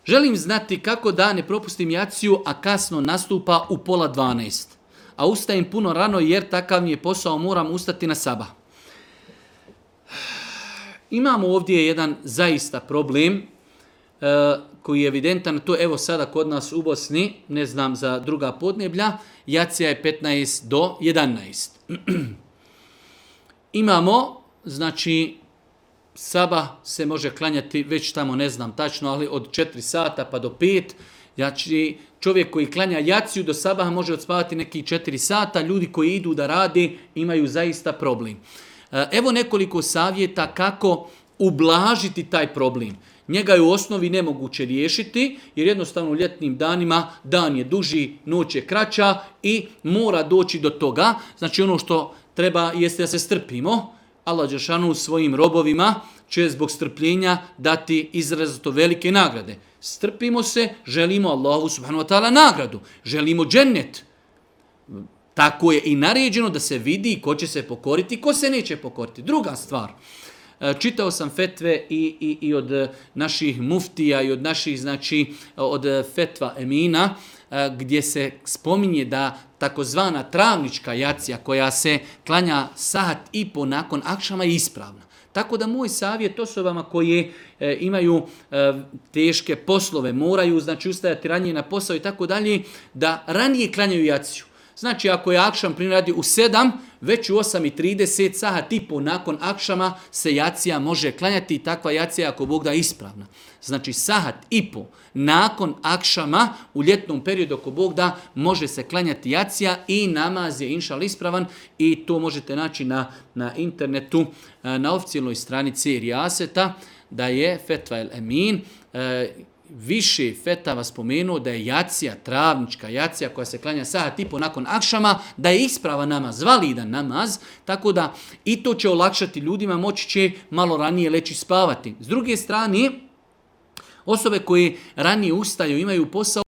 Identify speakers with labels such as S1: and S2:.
S1: Želim znati kako da ne propustim jaciju, a kasno nastupa u 11:30. A ustajem puno rano jer takav mi je posao, moram ustati na sabah. Imamo ovdje jedan zaista problem koji je evidentan, to evo sada kod nas u Bosni, ne znam za druga podneblja, jacija je 15:50. Imamo, znači, sabah se može klanjati već tamo, ne znam tačno, ali od 4 sata pa do 5. Znači, čovjek koji klanja jaciju do sabaha može odspavati neki 4 sata, ljudi koji idu da rade imaju zaista problem. Evo nekoliko savjeta kako ublažiti taj problem. Njega je u osnovi nemoguće riješiti, jer jednostavno u ljetnim danima dan je duži, noć je kraća i mora doći do toga. Znači ono što treba jeste da se strpimo. Allah dželešanu svojim robovima će zbog strpljenja dati izrazito velike nagrade. Strpimo se, želimo Allahu subhanahu wa ta'ala nagradu, želimo džennet. Tako je i naređeno da se vidi ko će se pokoriti, ko se neće pokoriti. Druga stvar, čitao sam fetve i od naših muftija i od naših, znači, od fetva emina, gdje se spominje da takozvana travnička jacija koja se klanja sat i po nakon akšama je ispravna. Tako da moj savjet osobama koje imaju teške poslove, moraju, znači, ustajati ranije na posao i tako dalje, da ranije klanjaju jaciju. Znači, ako je akšam radi u 7, već u 8:30, sat i po nakon akšama se jacija može klanjati i takva jacija, ako Bog da, ispravna. Znači, sat i po nakon akšama u ljetnom periodu, ako Bog da, može se klanjati jacija i namaz je inšal ispravan i to možete naći na internetu, na oficijalnoj stranici Rijaseta, da je Fetva el Emin, više fetava spomenuo da je jacija, travnička jacija koja se klanja sat i po nakon akšama, da je ispravan namaz, validan namaz, tako da i to će olakšati ljudima, moći će malo ranije leći spavati. S druge strane, osobe koje ranije ustaju, imaju posao,